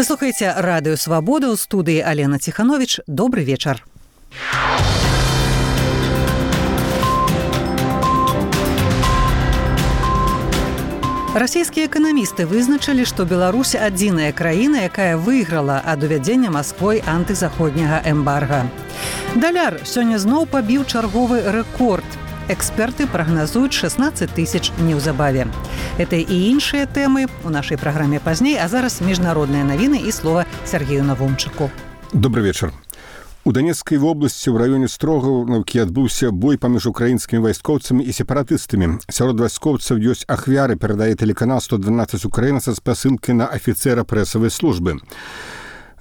Вы слухаеце радыё Свабода, ў студыі Алена Ціхановіч. Добры вечар. Расійскія эканамісты вызначылі, што Беларусь адзіная краіна, якая выйграла ад увядзення Масквой антызаходняга эмбарга. Даляр сёння зноў пабіў чарговы рэкорд. Эксперты прагназуюць 16 тысяч неўзабаве. Это і іншыя тэмы ў нашай праграме пазней, а зараз міжнародныя навіны і слова Сергею Навумчыку. Добрый вечар. У Донецкай вобласці ў раёне Строгаўкі адбыўся бой паміж украінскімі вайскоўцамі і сепаратыстамі. Сярод вайскоўцаў ёсць ахвяры, перадае тэлеканал 112 Украіна са спасылкай на афіцэра прэсавай службы.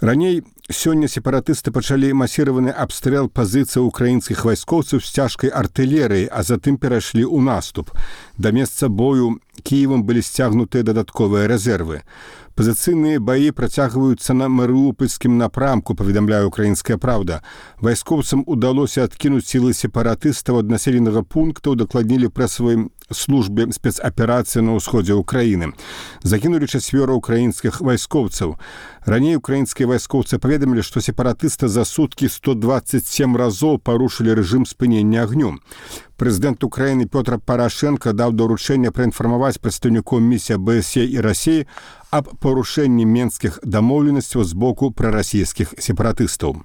Раней сёння сепаратысты пачалі масіраваны абстрэл пазіцый украінскіх вайскоўцаў з цяжкай артылерыяй, а затым перайшлі ў наступ. Да месца бою Кіевам былі сцягнутыя дадатковыя рэзервы. Пазіцыйныя баі працягваюцца на Марыупольскім напрамку, паведамляе «Украінская правда». Вайскоўцам удалося адкінуць сілы сепаратыстаў ад населенага пункта, дакладнілі прэсавай службе спецаперацыі на ўсходзе ўкраіны. Загінулі 4 украінскіх вайскоўцаў. Раней украінскія вайскоўцы паведамілі, што сепаратысты за суткі 127 разоў парушылі рэжым спынення агню. Прэзідэнт Украіны Пётр Парашенко даў даручэнне праінфармаваць прадстаўнікоў місіі АБСЕ і Расіі аб парушэнні менскіх дамоўленасцяў з боку прарасійскіх сепаратыстаў.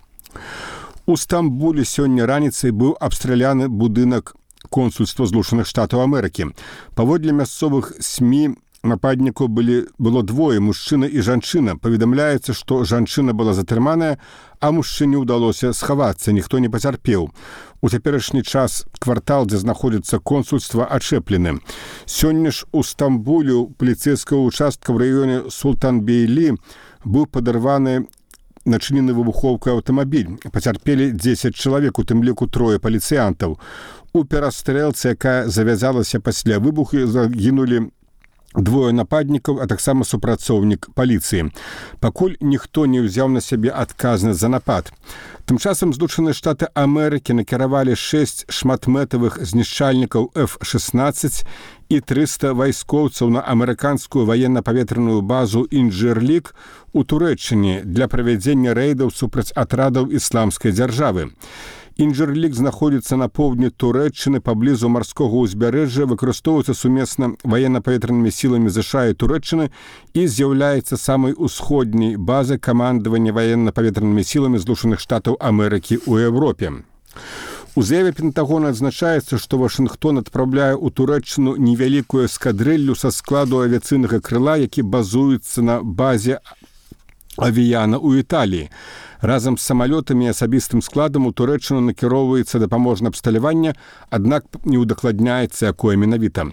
У Стамбуле сёння раніцай быў абстраляны будынак консульства Злучаных Штатаў Амерыкі. Паводле мясцовых СМІ нападнікаў было двое, мужчына і жанчына. Паведамляецца, што жанчына была затрыманая, а мужчыне ўдалося схавацца, ніхто не пацярпеў. У цяперашні час квартал, дзе знаходзіцца консульства, ачэплены. Сёння ж у Стамбуле у паліцэйскага участка ў раёне Султанбейлі быў падарваны начынены выбухоўкай аўтамабіль. Пацярпелі 10 чалавек, у тым ліку 3 паліцыянтаў. У перастрэлцы, якая завязалася пасля выбуху, загінулі 2 нападнікаў, а таксама супрацоўнік паліцыі. Пакуль ніхто не ўзяў на сябе адказнасць за напад. Тым часам Злучаныя Штаты Амерыкі накіравалі 6 шматмэтавых знішчальнікаў F-16 і 300 вайскоўцаў на амерыканскую ваенна-паветраную базу «Інджырлік» у Турэччыне для правядзення рэйдаў супраць атрадаў ісламскай дзяржавы. «Інджырлік» знаходзіцца на поўдні Турэччыны паблізу марскога ўзбярэжжа, выкарыстоўваецца сумесна ваенна-паветранымі сіламі ЗША і Турэччыны і з'яўляецца самай усходняй базай камандавання ваенна-паветранымі сіламі Злучаных Штатаў Амерыкі ў Еўропе. У заяве Пентагона адзначаецца, што Вашынгтон адпраўляе ў Турэччыну невялікую эскадрыллю са складу авіяцыйнага крыла, які базуецца на базе Авіяна ў Італіі. Разам з самалётамі і асабістым складам у Турэччыну накіроўваецца дапаможнае абсталяванне, аднак не ўдакладняецца, якое менавіта.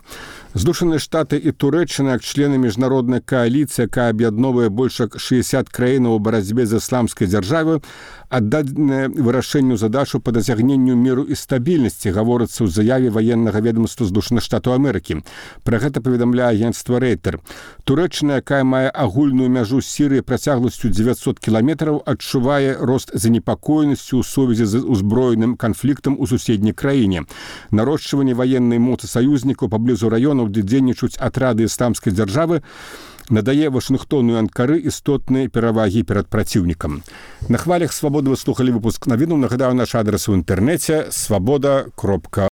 Злучаныя Штаты і Турэччына, як члены міжнароднай кааліцыі, якая аб'ядноўвае больш як 60 краінаў у барацьбе з ісламскай дзяржавай, аддадзеныя вырашэнню задачу па дасягненню міру і стабільнасці, гаворыцца ў заяве ваеннага ведамства Злучаных Штатаў Амерыкі. Пра гэта паведамляе агенцтва Рэйтер. Турэччына, якая мае агульную мяжу з Сірыяй працягласцю 900 кіламетраў, адчувае рост занепакоенасці ў сувязі з узброеным канфліктам у суседняй краіне. Нарошчванне ваеннай моцы саюзнікаў паблізу раёнаў, дзе дзейнічаюць атрады ісламскай дзяржавы, надае Вашынгтону і Анкары істотныя перавагі перад праціўнікам. На хвалях Свабоды вы слухалі выпуск навінаў. Нагадаю, наш адрес у інтэрнэце свабода.орг.